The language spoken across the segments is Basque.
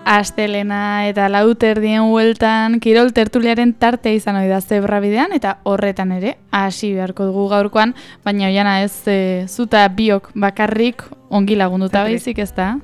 Astelena eta lauterdien hueltan kirol tertuliaren tartea izan ohi da zebrabidean eta horretan ere hasi beharko dugu gaurkoan, baina Oiana ez zuta biok bakarrik ongi lagunduta baizik ez da?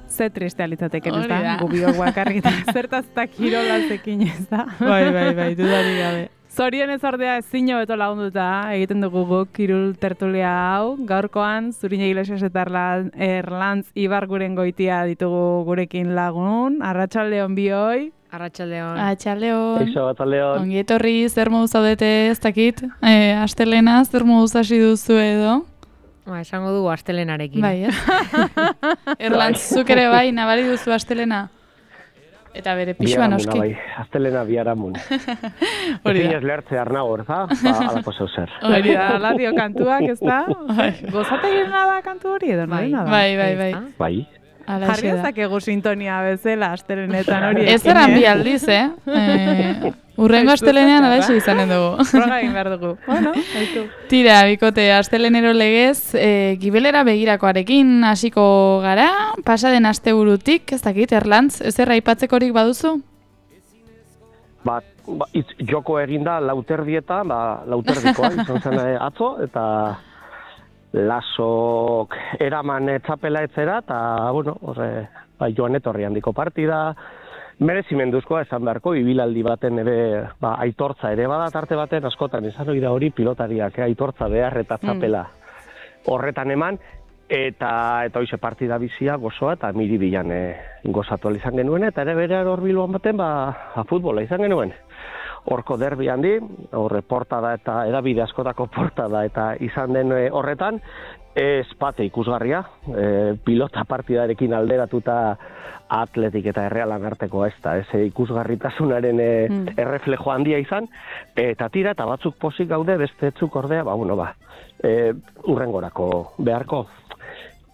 Ze tristea litzateken ez da, gu biok bakarrik zertaz eta kirolazekin ez da. Bai, dudari gabe. Zorionez ordea ezin hobeto lagunduta egiten dugu guk kirol tertulia hau. Gaurkoan Zurina Iglesias eta Erlantz Ibarguren goitia ditugu gurekin lagun. Arratsaldeon bioi. Arratsaldeon. Arratsaldeon. Eixo, arratsaldeon. Ongi etorri, zer moduz zaudete ez dakit? Astelena, zer moduz hasi duzu edo? Esango dugu astelenarekin. Bai, Erlantz, zuk ere bai, nabari duzu astelena? Eta bere pixua noski. Bai, astelena biharamun. Hori da. Ez lehartze arnagor, za? Alako zeu zer. Hori da, aladio kantuak, ez da? Gozate girena da kantu hori edo, bai. Bai. Jarri ezakegu sintonia bezala astelenetan hori. Ez eran bi aldiz, Urrengo astelenean alaixo izanen dugu. Proga egin behar dugu. Bueno, haitu. Tira, bikote, astelenero legez, gibelera begirakoarekin hasiko gara, pasaden asteburutik, ez dakit, Erlantz, ezer aipatzekorik baduzu? Joko eginda lauterdietan, lauterdikoa izan zen atzo, eta lasok eraman txapela etzera, eta, bueno, joan etorri handiko partida, merezimenduzkoa esan beharko, ibilaldi baten ere aitortza ere bada tarte baten askotan izan hori da hori pilotariak aitortza behar eta txapela horretan eman eta hoize partida bizia gozoa eta miribilan gozatu izan genuen eta ere berean hor Bilbon baten futbola izan genuen. Horko derbi handi, horre portada eta edabide askotako portada eta izan den horretan, espate ikusgarria, pilota partidarekin alderatuta Atletik eta Errealan artekoa ez da, ikusgarritasunaren erreflejo handia izan, eta tira eta batzuk pozik gaude, beste etzuk ordea, urrengorako beharko.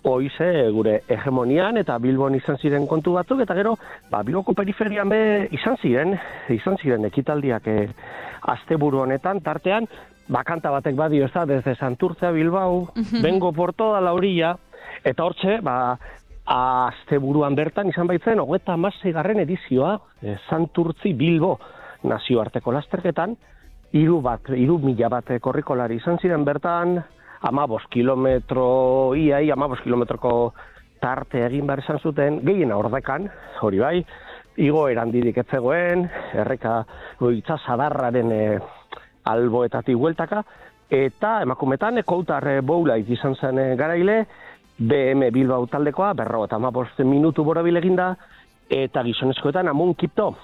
Hoize gure hegemonian eta Bilbon izan ziren kontu batzuk, eta gero, Bilboko periferian izan ziren ekitaldiak asteburu honetan, tartean, kanta batek badio ez da, desde Santurtzea Bilbao, vengo por toda la orilla, eta hortxe, asteburuan bertan izan baitzen, 36. edizioa, Santurtzi Bilbo nazioarteko lasterketan, 3.000 bat korrikolari izan ziren bertan, 15 kilometro, 15 kilometroko tarte egin behar izan zuten, gehiena ordekan, hori bai, igoeran didik etzegoen, erreka itsasadarraren alboetatik hueltaka, eta emakumetan Koutar Boulait izan zen garaile, BM Bilbao taldekoa, 55 minutu borobil eginda, eta gizonezkoetan Amun Kipto,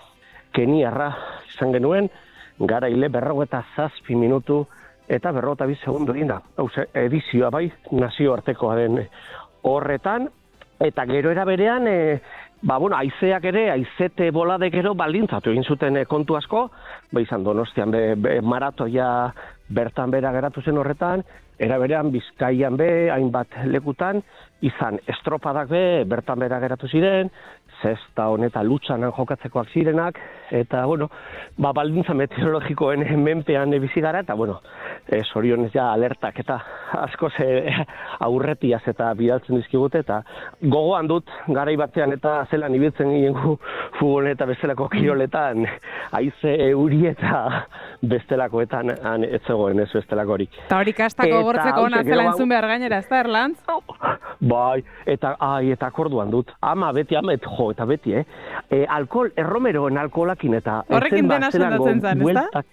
Keniarra izan genuen, garaile 57 minutu, eta 52 segundu eginda. Edizioa bai, nazioartekoaren horretan, eta gero era berean, haizeak ere, haizete boladek gero baldintzatu egin zuten kontu asko, izan Donostian maratoia bertan bera geratu zen horretan, era berean Bizkaian hainbat lekutan, izan estropadak bertan bera geratu ziren, zesta honetan lutsanan jokatzekoak zirenak, eta, baldintza meteorologikoen menpean bizi gara, eta, zorionez alertak eta asko aurretiaz eta bidaltzen dizkigute, eta gogoan dut garai batean eta zelan ibiltzen ginen futbol eta bestelako kiroletan, haize euri eta bestelakoetan ez zegoen ez bestelakorik. Eta hori kastako gortzeko hona zela entzun behar gainera, ez da, Erlantz? Bai, eta akorduan dut, eta beti, erromeroen alkoholakin eta... Horrekin dena sendatzen zen, ez da?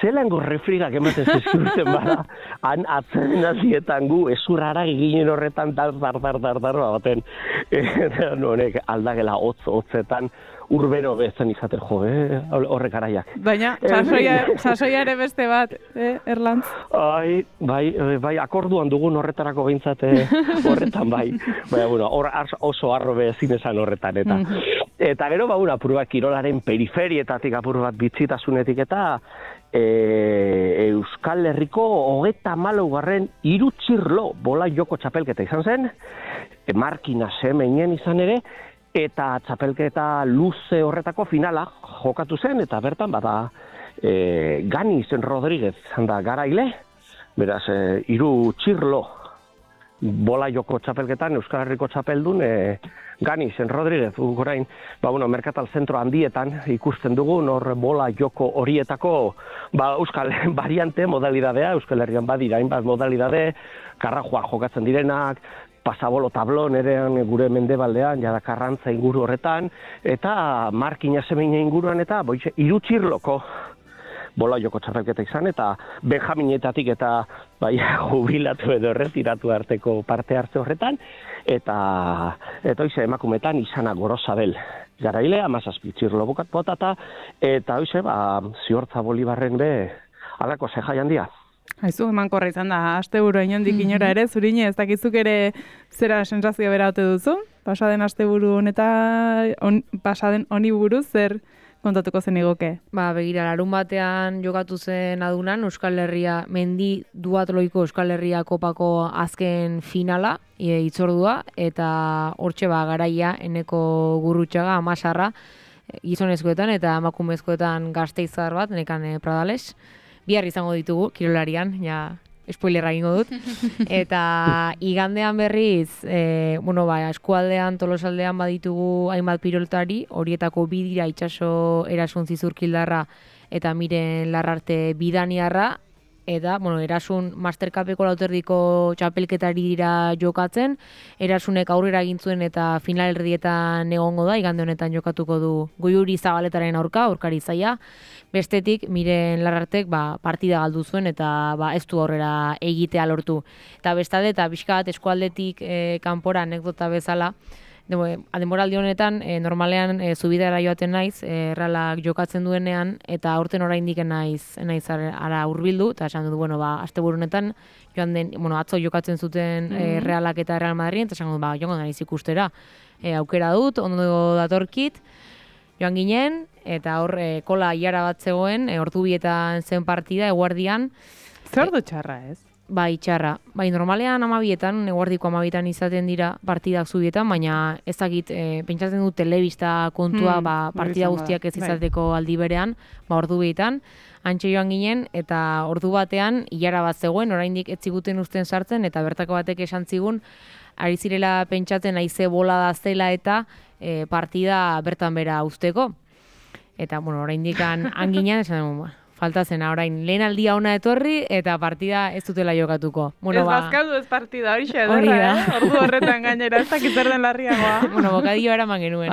Zelango refrigak ematen zizkurten bada, han atzaren azietan gu, ezurrara ginen horretan baten, honek aldagela hotzetan, urbero bezen izaten horrek araiak. Baina, sasoia ere beste bat, Erlantz? Bai, akorduan dugun horretarako behintzat horretan bai. Hor oso arrobe ezin esan horretan, eta. Eta gero, apur bat kirolaren periferietatik, apur bat bitzitasunetik, eta Euskal Herriko 34. Irutxirlo bola joko txapelketa izan zen, Markina Semeinen izan ere, eta txapelketa luze horretako finala jokatu zen, eta bertan Ganiz Rodríguez da garaile, beraz, Irutxirlo bola joko txapelketan, Euskal Herriko txapeldun, Gani, Zen Rodríguez, orain, Merkatal zentro handietan ikusten dugu, nor bola joko horietako, Euskal variante, modalidadea, Euskal Herrian badira, hainbat modalidade, karrajoa jokatzen direnak, pasabolo tablon erean gure mendebaldean, jada Karrantza inguru horretan, eta Markina Semina inguruan, eta hiru txirloko bola joko txapelketa izan, eta Benjaminetatik eta jubilatu edo erretiratu arteko parte hartze horretan, eta hoize emakumetan izana Gorosabel garaile, 17 txirlo botata, eta hoize, Ziortza Bolibarren be, alako zejai handia. Haizu, emankorra izan da, asteburu inondik inora ere, Zurine, ez dakizuk ere zera sensazio bera ote duzu? Pasaden asteburu pasaden honi buruz, zer kontatuko zen igoke? Begira, larun batean jokatu zen adunan Euskal Herria, mendi duatloiko Euskal Herria kopako azken finala, itzordua, eta hortxe garaia, eneko Gurrutxaga, Amasarra, gizonezkoetan eta emakumezkoetan Gasteizar bat, nekan Pradales. Bihar izango ditugu, kirolarian, spoilerra egingo dut. Eta igandean berriz, eskualdean, Tolosaldean baditugu hainbat pilotari, horietako bi dira itsaso Erasun Zizurkildarra eta Miren Larrarte Bidaniarra, eta, Erasun Mastercupeko lauterdiko txapelketari dira jokatzen, Erasunek aurrera egin zuen eta finalerdietan egongo da, igande honetan jokatuko du Goiuri Zabaletaren aurkari zaia, bestetik Miren Larrartek partida galdu zuen eta ez du aurrera egitea lortu. Eta bestalde, eta pixka bat eskualdetik kanpora anekdota bezala, denboraldi honetan, normalean zubidara joaten naiz, erralak jokatzen duenean, eta aurten oraindik naiz ara hurbildu, eta esan dut, asteburu honetan, atzo jokatzen zuten Realak eta Real Madrid, eta esan dut, joango naiz ikustera. Aukera dut, ondo datorkit, joan ginen, eta hor kola iara bat zegoen, ordubietan zen partida, eguardian. Zer du txarra ez? Txarra. Normalean 12etan, eguardiko 12etan izaten dira partidak zubietan, baina ezagit, pentsatzen du telebista kontua, partida guztiak ez izateko aldi berean, ordubietan, antxe joan ginen, eta ordu batean, ilara bat zegoen, oraindik ez ziguten uzten sartzen, eta bertako batek esan zigun, ari zirela pentsatzen haize bola da zela eta partida bertan bera uzteko. Eta, oraindik anginen, esan falta zena, orain, lehen aldia ona etorri, eta partida ez dutela jokatuko. Ez bazkatu ez partida, hori xederra, ordu horretan gainera, ez dakitzer den larriagoa. Bokadio eraman genuen,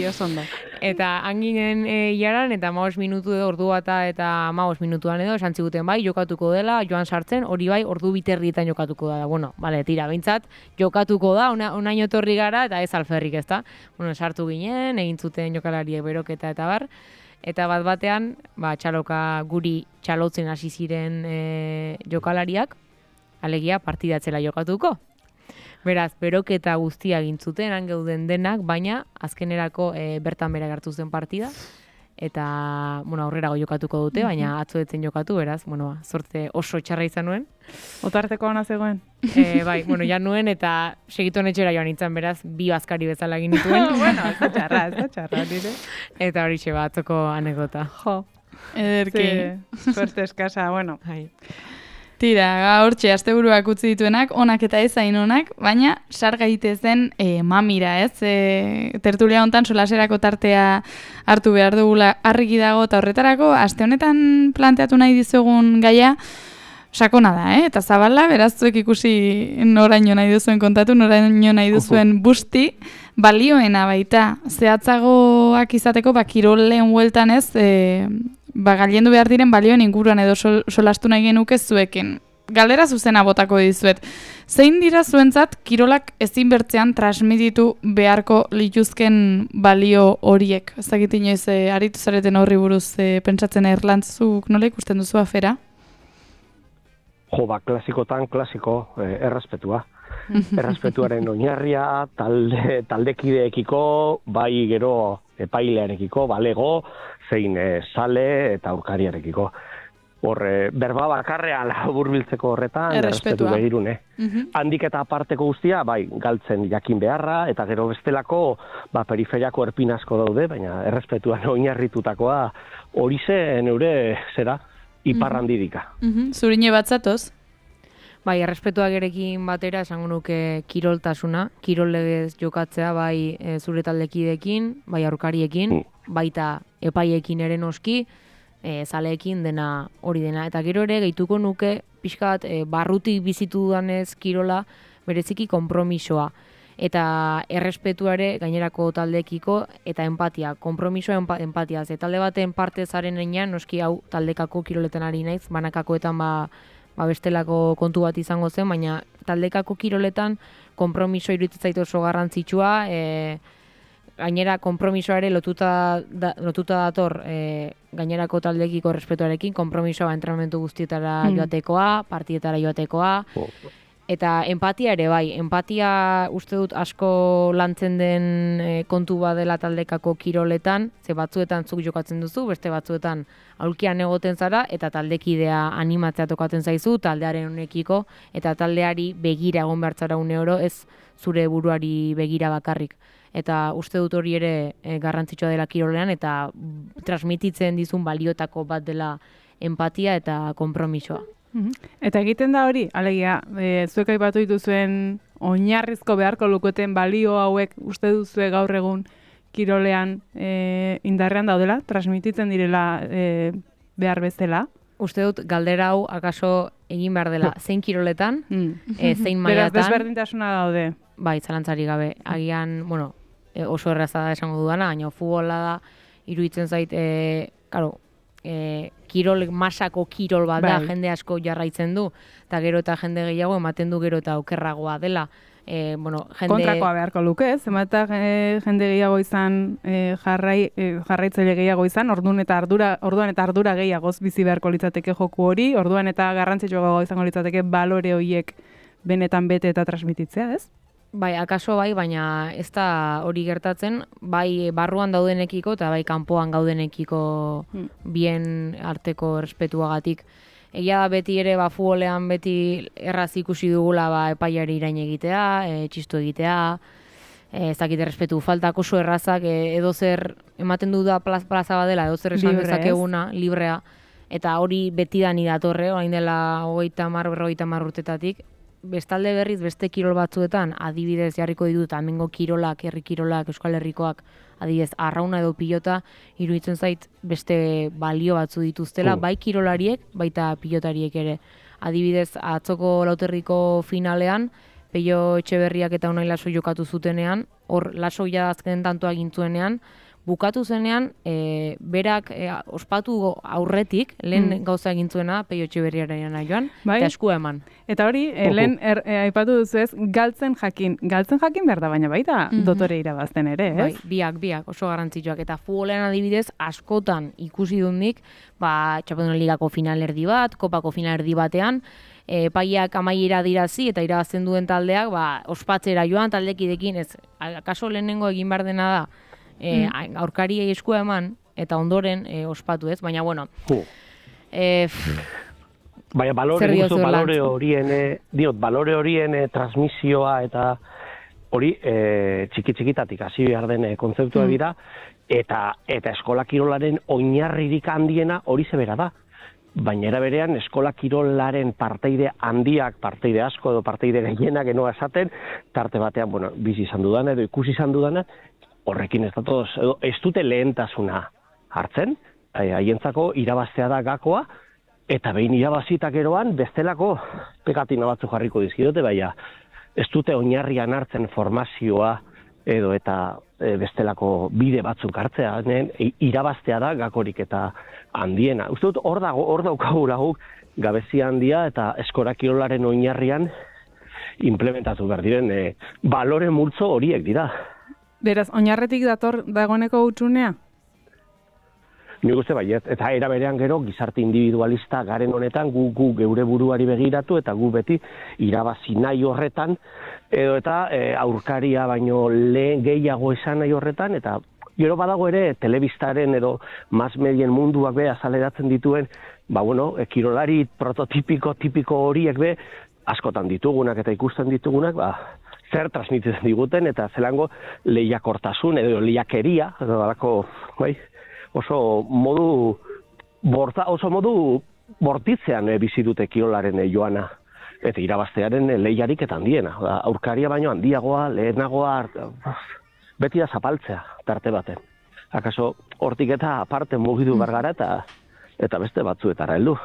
oso ondo. Eta hanginen jaran, eta 15 minutu edo, ordu bata eta 15 minutuan edo, esan ziguten jokatuko dela, joan sartzen, hori ordu biterrietan jokatuko da. Tira, behintzat, jokatuko da, onaino etorri gara, eta ez alferrik, ez da. Sartu ginen, egin zuten jokalariek beroketa eta bar, eta bat-batean, txaloka guri txalotzen hasi ziren jokalariak, alegia partidatzela jokatuko. Beraz, beroketa guztia egin zuten, geuden denak, baina azkenerako bertan bera gartu zen partida, eta aurrerago jokatuko dute, baina atzoetzen jokatu, beraz, zorte oso txarra izan nuen. Otarteko ona zegoen? Ja nuen, eta segituen etxera joan nintzen, beraz, bi bazkari bezala egin nituen. Ez da txarra, nire. Eta hori xe batzoko anekdota. Ederki. Suerte eskasa, Tira, hortxe, asteburuak utzi dituenak, onak eta ez hain onak, baina sar gaitezen mamira, ez? Tertulia hontan solaserako tartea hartu behar dugula argi dago, eta horretarako, aste honetan planteatu nahi dizugun gaia, sakona da, eta zabala, beraz zuek ikusi noraino nahi duzuen kontatu, noraino nahi duzuen busti, balioena baita, zehatzagoak izateko, kirolen hueltan ez, galiendu behar diren balioen inguruan edo solastu nahi genuke zuekin. Galdera zuzena botako dizuet. Zein dira zuentzat kirolak ezin bertzean transmititu beharko lituzken balio horiek? Ez dakit inoiz, aritu zareten horri buruz pentsatzen erlantzuk nola ikusten duzu afera? Klasikotan klasiko errespetua. Errespetuaren oinarria, taldekideekiko, bai gero epailearekiko, balego, zein sale eta aurkariarekiko. Berba bakarrean laburbiltzeko horretan, errespetu begirune. Handik eta aparteko guztia, galtzen jakin beharra, eta gero bestelako periferiako erpin asko daude, baina errespetuan oinarritutakoa hori zen eure, iparrandidika. Zurine bat zatoz? Bai, errespetuak erekin batera esango nuke kiroltasuna, kirol legez jokatzea bai zure taldekideekin, bai aurkariekin, baita epaiekin ere noski, zaleekin dena hori dena. Eta gero ere gehituko nuke pixka bat barrutik bizitu dudanez kirola bereziki konpromisoa. Eta errespetuare gainerako taldeekiko eta empatia, konpromisoa empatia. Ze talde baten parte zaren enean, noski hau taldekako kiroletan ari naiz, banakakoetan bestelako kontu bat izango zen, baina taldekako kiroletan konpromiso iruditzen zait oso garrantzitsua, gainera konpromisoare lotuta dator gainerako taldekiko errespetuarekin, konpromisoa entrenamendu guztietara joatekoa, partietara joatekoa, eta empatia ere bai, empatia uste dut asko lantzen den kontu badela taldekako kiroletan, ze batzuetan zuk jokatzen duzu, beste batzuetan aulkian egoten zara, eta taldekidea animatzea tokatzen zaizu, taldearen honekiko, eta taldeari begira egon behar zara une oro, ez zure buruari begira bakarrik. Eta uste dut hori ere garrantzitsua dela kirolean, eta transmititzen dizun baliotako bat dela empatia eta konpromisoa. Eta egiten da hori, alegia, zuek aipatu dituzuen oinarrizko beharko luketen balio hauek uste duzue gaur egun kirolean indarrean daudela, transmititzen direla behar bezala? Uste dut galdera hau akaso egin behar dela zein kiroletan, zein mailatan. Beraz, desberdintasuna daude. Bai, zalantzari gabe. Agian, oso erraza da esango dudana, baina futbola da, iruditzen zait, kirol, masako kirol bat da, jende asko jarraitzen du, eta gero eta jende gehiago ematen du gero eta okerragoa dela. Kontrakoa beharko luke, ez? Eta jende gehiago izan, jarraitzaile gehiago izan, orduan eta ardura gehiagoz bizi beharko litzateke joku hori, orduan eta garrantzitsuago izango litzateke balore horiek benetan bete eta transmititzea, ez? Bai, akaso bai, baina ez da hori gertatzen, bai barruan daudenekiko eta bai kanpoan gaudenekiko bien arteko errespetuagatik. Egia da beti ere futbolean beti erraz ikusi dugula epaiari irain egitea, txistu egitea, ez dakit errespetu faltak oso errazak, edo zer ematen du da plaza badela, edo zer esan dezakeguna, librea, eta hori beti da ni datorre, orain dela 30-40 urtetatik. Bestalde berriz, beste kirol batzuetan, adibidez jarriko ditut, hemengo kirolak, herri kirolak, Euskal Herrikoak, adibidez, arrauna edo pilota, iruditzen zait beste balio batzu dituztela, bai kirolariek, baita pilotariek ere. Adibidez, atzoko Lauterriko finalean, Peio Etxeberriak eta Unai Laso jokatu zutenean, hor Laso azken tantoa gintzuenean, bukatu zenean, berak ospatu aurretik, lehen gauza egin zuena, Peio Etxeberriaren joan, eta eskua eman. Eta hori, lehen aipatu duzu ez, galtzen jakin behar da, baina baita dotore irabazten ere, ez? Bai, biak, oso garrantzitsuak. Eta futbolean adibidez, askotan ikusi dut nik, Txapeldun Ligako finalerdi bat, Kopako finalerdi batean, epaiak amaiera dirazi eta irabazten duen taldeak, ospatzera joan taldekidekin, ez, akaso lehenengo egin behar dena da, aurkariei eskua eman, eta ondoren ospatu ez, baina bueno. Baina balore horien transmisioa eta hori txiki-txikitatik hasi behar den kontzeptua dira, eta eskola kirolaren oinarririk handiena hori zebera da. Baina era berean eskola kirolaren parteide handiak, parteide asko edo parteide gehienak enoa esaten, tarte batean, bizi izan dudana edo ikusi izan dudana, horrekin ez dute lehentasuna hartzen, haientzako irabaztea da gakoa, eta behin irabazitak eroan bestelako pekatina batzu jarriko dizkiote, baina ez dute oinarrian hartzen formazioa edo eta bestelako bide batzuk hartzea, irabaztea da gakorik eta handiena. Uste dut hor daukagura guk gabezia handia eta eskola kirolaren oinarrian implementatu behar diren balore multzo horiek dira. Beraz, oinarretik dagoeneko hutsunea? Nik uste baiet, eta era berean gero gizarte individualista garen honetan gu geure buruari begiratu eta gu beti irabazi nahi horretan edo eta aurkaria baino lehen gehiago esan nahi horretan eta gero badago ere telebistaren edo mass medien munduak be azaleratzen dituen kirolari prototipiko horiek be askotan ditugunak eta ikusten ditugunak zer transmititzen diguten eta zelango lehiakortasun edo lehiakeria edo dalako oso modu bortitzean bizi dute kirolaren joana. eta irabaztearen lehiarik eta handiena. Aurkaria baino handiagoa, lehenagoa, beti da zapaltzea tarte baten. Akaso hortik eta aparte mugidu bargara eta beste batzuetara heldu.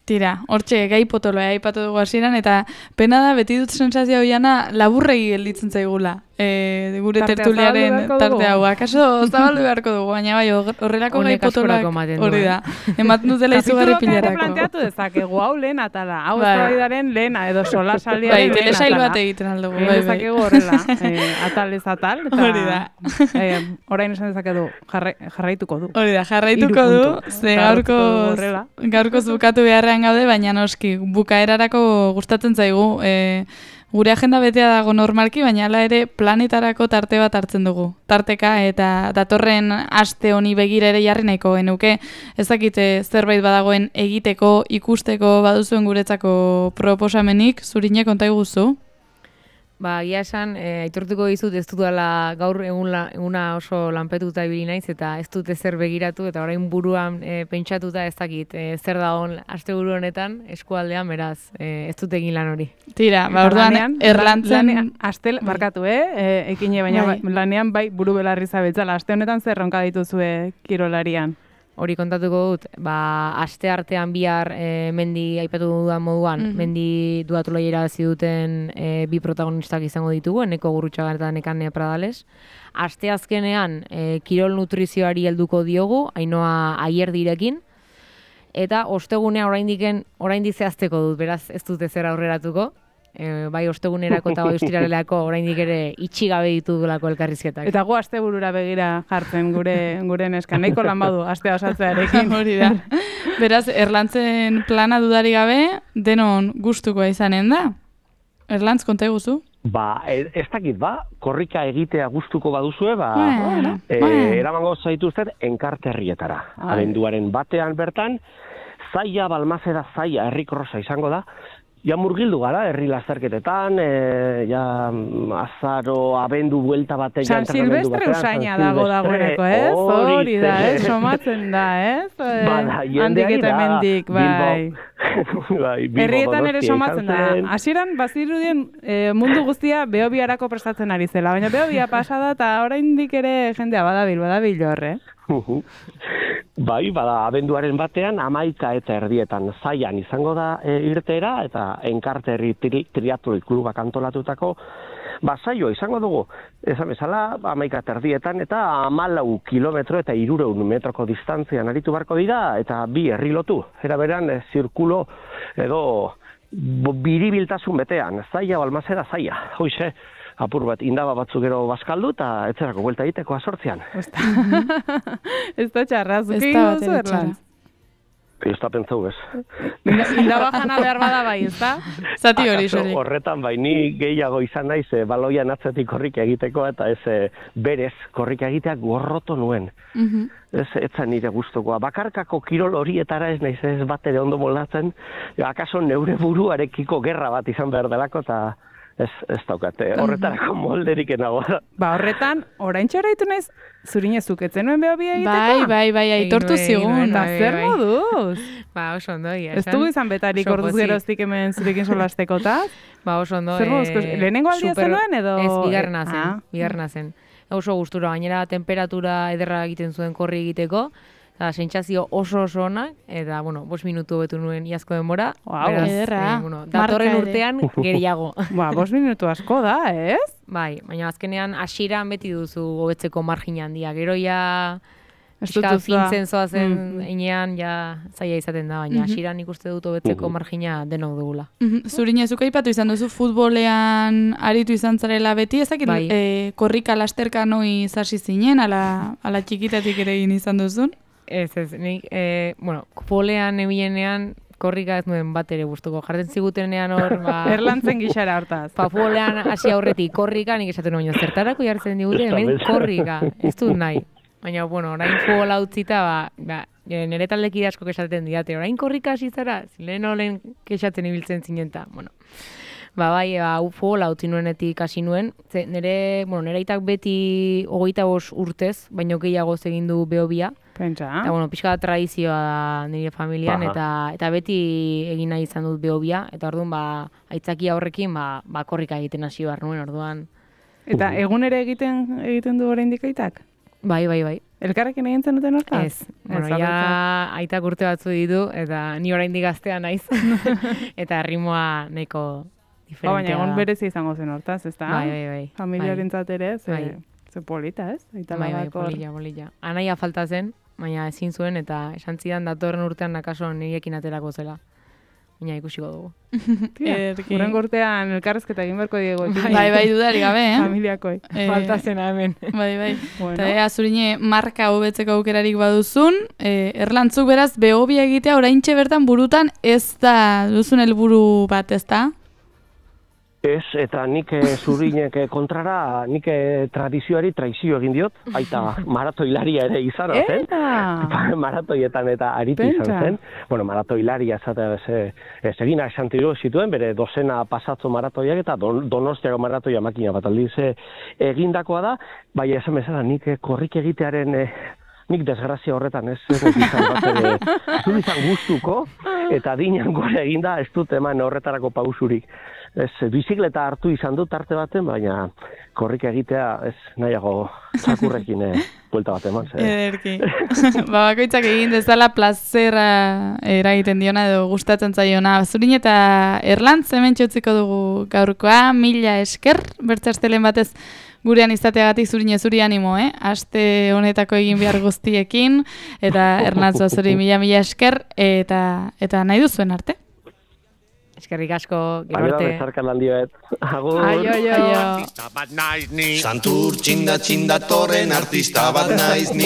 Tira, hortxe gai potoloa aipatu dugu hasieran eta pena da beti dut sensazio hoiana laburregi gelditzen zaigula. Gure tertuliaren tarte hau. Akaso zabaldu beharko dugu, baina bai horrelako gai potoloak hori da. Ematen dutela izugarri pilarako. Planteatu dezakegu hau lehen atala, hau eztabaidaren lehena edo solasaldiaren lehen atala. Telesail bat egiten aldugu. Dezakegu horrela, atal ez atal. Hori da. Orain esan dezakegu jarraituko du. Hori da, jarraituko du, ze gaurko bukatu beharrean gaude, baina noski bukaerarako gustatzen zaigu. Gure agenda betea dago normalki, baina hala ere planetarako tarte bat hartzen dugu. Tarteka eta datorren aste honi begira ere jarri nahiko genuke. Ez dakite zerbait badagoen egiteko, ikusteko baduzuen guretzako proposamenik, Zurine konta iguzu? Gia esan, aitortuko dizut ez dudala gaur eguna oso lanpetuta ibili naiz eta ez dut ezer begiratu eta orain buruan pentsatuta ez dakit zer dagoen asteburu honetan eskualdean, beraz ez dut egin lan hori. Tira, orduan erlantzen astel markatu, ekine baina lanean bai buru belarri zabiltzala. Aste honetan zer ronka dituzue kirolarian? Hori kontatuko dut, aste artean bihar mendi aipatu dudan moduan, mendi duatuloia irabazi duten bi protagonistak izango ditugu, Eneko Gurrutxaga eta Nekane Pradales. Aste azkenean kirol nutrizioari helduko diogu, Ainhoa Aierdirekin, eta ostegunea oraindik zehazteko dut, beraz ez dut ezer aurreratuko. Bai ostegunerako eta bai ostiralelako oraindik ere itxi gabe ditugulako elkarrizketak. Eta gu asteburura begira jartzen gure neska. Nahiko lan badu astea osaltzearekin. Hori da. Beraz, erlantzen plana dudari gabe, denon gustukoa izanen da? Erlantz, konta eguzu? Ez dakit, korrika egitea gustuko baduzue, eramango zaituzten enkarterrietara. Abenduaren batean bertan, Zaia, Balmazeda, Zaia, herrikrosa izango da. Ja murgildu gara, herri lasterketetan, azaro, abendu, buelta batean, San Silvestre usaina dagoeneko, ez? Hori da, ez? Somatzen da, ez? Handik eta hemendik, bai. Herrietan ere somatzen da. Hasieran bazirudien mundu guztia Behobiarako prestatzen ari zela, baina Behobia pasada eta oraindik ere jendea badabil horre. Bai, abenduaren batean 11:30 Zaian izango da irteera eta Enkarterri triatloi klubak antolatutako saioa izango dugu. Esan bezala 11:30 eta 14 kilometro eta 300 metroko distantzian aritu barko dira eta bi herri lotu. Era beran zirkulo edo biribiltasun betean, Zaia, Balmazeda, Zaia. Hoize, apur bat indaba batzuk gero bazkaldu eta etzerako buelta egiteko 8:00. Ez da txarra, zuke duzu Erlantz? Ez da pentsau ez. Indaba jana behar bada bai, ez da? Zati hori solik. Horretan bai, ni gehiago izan naiz baloian atzetik korrika egiteko eta ez berez korrika egitea gorroto nuen. Ez zan nire gustokoa. Bakarkako kirol horietara ez naiz ez bat ere ondo moldatzen. Akaso neure buruarekiko gerra bat izan behar delako eta ez daukate, horretarako molderik enago. Horretan, oraintxe horreitu naiz, Zurine zuketzen nuen Behobia egiteko? Bai, aitortu zigun. Eta zer moduz? Oso ondo, ez dugu izan betarik orduz geroztik hemen zurekin solastekota? Oso ondo. Zer moduz, lehenengo aldia zenuen edo? Ez, bigarrena zen. Oso gustura, gainera temperatura ederra egiten zuen korri egiteko, eta sentsazio oso onak, eta, 5 minutu betu nuen iazko denbora. Ederra. Datorren urtean gehiago. 5 minutu asko da, ez? Bai, baina azkenean hasieran beti duzu hobetzeko margina handia. Gero ja fintzen zoazen inean zaila izaten da, baina hasieran ikuste dut hobetzeko margina denok dugula. Zurine, zuk aipatu izan duzu futbolean aritu izan zarela beti, ezakit korrika lasterka noi zasi zinen, ala txikitatik ere egin izan duzun? Ez, nik, futbolean ebilenean korrika ez nuen bat ere gustuko. Jartzen zigutenean hor, Erlantzen gixara hortaz. Futbolean hasi aurretik korrika, nik esaten nuen, zertarako jartzen digute, hemen korrika, ez dut nahi. Baina, orain futbola utzita, nire taldekide asko kesaten didate, orain korrika hasi zara, lehen kexatzen ibiltzen zinenta. bai, futbola utzi nuenetik hasi nuen. Nire aitak beti 25 urtez, baino gehiago egin du Behobia. Pentsa. Eta, pixka da tradizioa da nire familian, eta beti egin nahi izan dut Behobia, eta orduan, aitzakia horrekin, korrika egiten hasi behar nuen, orduan. Eta egun ere egiten du oraindik aitak? Bai. Elkarrekin egin zenuten hortaz? Ez. Ja aitak urte batzu ditu, eta ni oraindik gaztea naiz. Eta ritmoa nahiko diferentea. Baina egon berezi izango zen hortaz, ez da? Bai. Familiarentzat ere, ze polita, ez? Bai, polilla. Anaia falta zen, baina ezin zuen, eta esan zidan datorren urtean nakaso nirekin aterako zela. Baina ikusiko dugu. Urrengo urtean elkarrezketa egin beharko diego. Bai, dudarik gabe, Familiakoi. Falta zena hemen. Bai. Bueno. Eta Zurine marka hobetzeko aukerarik baduzun, Erlantzuk beraz Behobia egitea oraintxe bertan burutan ez da duzun helburu bat, ez da? Ez, eta nik Zurinek kontrara, nik tradizioari traizio egin diot, aita maratoilaria ere izan zen. Maratoietan eta aritu izan zen. Bueno, maratoilaria egin esantiru zituen, bere dozena pasatzo maratoiak eta Donostiako maratoia makina bat aldiz egindakoa da, bai esan bezala nik korrik egitearen nik desgrazia horretan ez izan gustuko, eta dinan gore eginda ez dut eman horretarako pausurik. Ez, bizikleta hartu izan dut arte baten, baina korrik egitea ez nahiago txakurrekin buelta bat eman. Ederki. Bakoitzak egin dezala plazera eragiten diona edo gustatzen zaiona. Zurine eta Erlantz hemen txotziko dugu gaurkoa, 1000 esker, bertzastelen batez gurean izateagatik Zurine zuri animo, aste honetako egin behar guztiekin, eta Erlantz zuri 1000 esker, eta nahi duzuen arte. Eskerrik asko, gero arte. Bezarkan handi bet. Agur. Aio. Santur txinda torren artista bat naiz ni.